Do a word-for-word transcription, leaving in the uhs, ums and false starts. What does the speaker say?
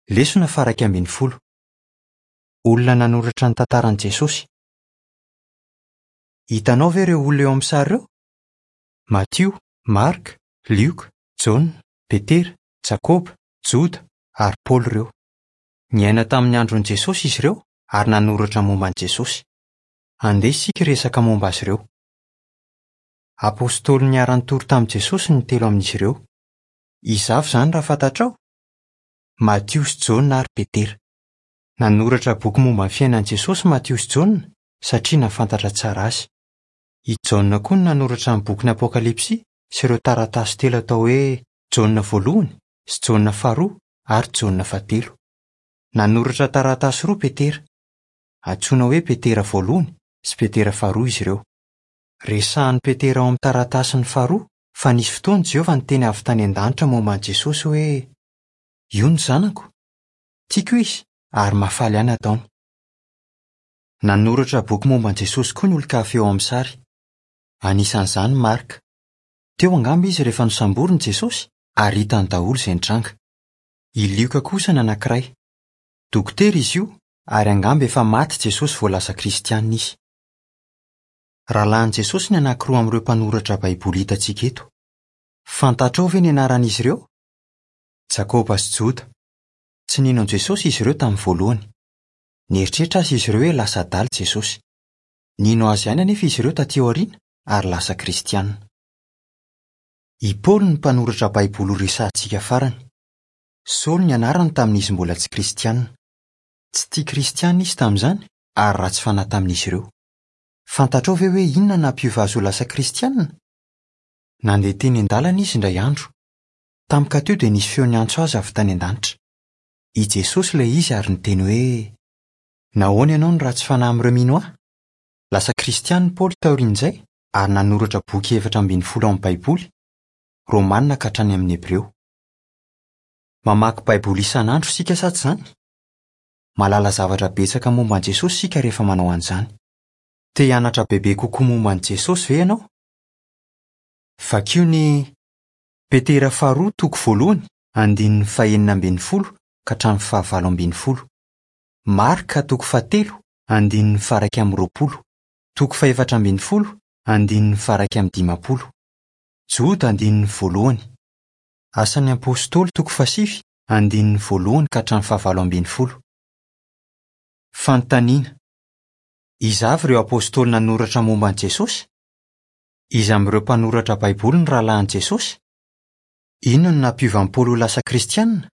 Lesona faha-iraika ambin'ny folo. Olona nanoratra ny tantaran'i Jesosy. Hitanao ve ireo olona eo amin'ny sary ireo? Matio, Marka, Lioka, Jaona, Petera, Jakoba, Joda ary Paoly ireo. Niaina tamin'ny andron'i Jesosy izy ireo ary nanoratra momba an'i Jesosy. Andeha isika hiresaka momba azy ireo. Apostoly niara-nitory tamin'i Jesosy ny telo amin'izy ireo. Iza avy izany raha fantatrao? Matio sy Jaona ary Petera. Nanoratra boky momba ny fiainan'i Jesosy Matio sy Jaona satria nahafantatra tsara azy. I Jaona koa no nanoratra ny bokin'ny Apokalypsy sy ireo taratasy telo atao hoe Jaona voalohany sy Jaona faharoa ary Jaona fahatelo. Nanoratra taratasy roa Petera. Antsoina hoe Petera voalohany sy Petera faharoa izy ireo. Resahan'i Petera ao amin'ny taratasiny faharoa fa nisy fotoana Jehovah niteny avy tany an-danitra momba an'i Jesosy hoe io ny zanako. Tiako izy ary mahafaly ahy ny ataony. Nanoratra boky momba an'i Jesosy koa ny olon-kafa eo amin'ny sary. Anisan'izany Marka. Teo angamba izy rehefa nosamborina Jesosy ary hitany daholo izay nitranga. I Lioka kosa ny anankiray. Dokotera izy io ary angamba efa maty Jesosy vao lasa kristianina izy. Rahalahin'i Jesosy ny anankiroa amin'ireo mpanoratra Baiboly hitantsika eto. Fantatrao ve ny anaran'izy ireo? Jakoba sy Joda. Tsy nino an'i Jesosy izy ireo tamin'ny voalohany. Nieritreritra azy izy ireo hoe lasa adala Jesosy. Nino azy ihany anefa izy ireo taty aoriana ary lasa kristianina. I Paoly no mpanoratra Baiboly horesahantsika farany. Saoly ny anarany tamin'izy mbola tsy kristianina. Tsy tia kristianina izy tamin'izany ary ratsy fanahy tamin'izy ireo. Fantatrao ve hoe inona nampiova azy ho lasa kristianina? Nandeha teny an-dalana izy indray andro. Tampoka teo dia nisy feo niantso azy avy tany an-danitra. I Jesosy ilay izy ary niteny hoe nahoana ianao no ratsy fanahy amin'ireo mino ahy? Lasa kristianina Paoly taorian'izay ary nanoratra boky efatra ambin'ny folo ao amin'ny Baiboly, Romanina ka hatrany amin'ny Hebreo. Mamaky Baiboly isan'andro isika sa tsy izany? Mahalala zavatra betsaka momba an'i Jesosy isika rehefa manao an'izany. Te hianatra bebe kokoa momba an'i Jesosy ve ianao? Vakio ny Petera faharoa toko voalohany andininy fahenina ambin'ny folo ka hatramin'ny fahavalo ambin'ny folo. Marka toko fahatelo andininy faha-iraika amby roapolo, toko fahefatra ambin'ny folo andininy faha-iraika amby dimampolo. Joda andininy voalohany. Asan'ny Apostoly toko fahasivy andininy voalohany ka hatramin'ny fahavalo ambin'ny folo. Fanontaniana. Iza avy ireo apostoly nanoratra momba an'i Jesosy? Iza amin'ireo mpanoratra Baiboly ny rahalahin'i Jesosy? Inona no nampiova an'i Paoly ho lasa kristianina?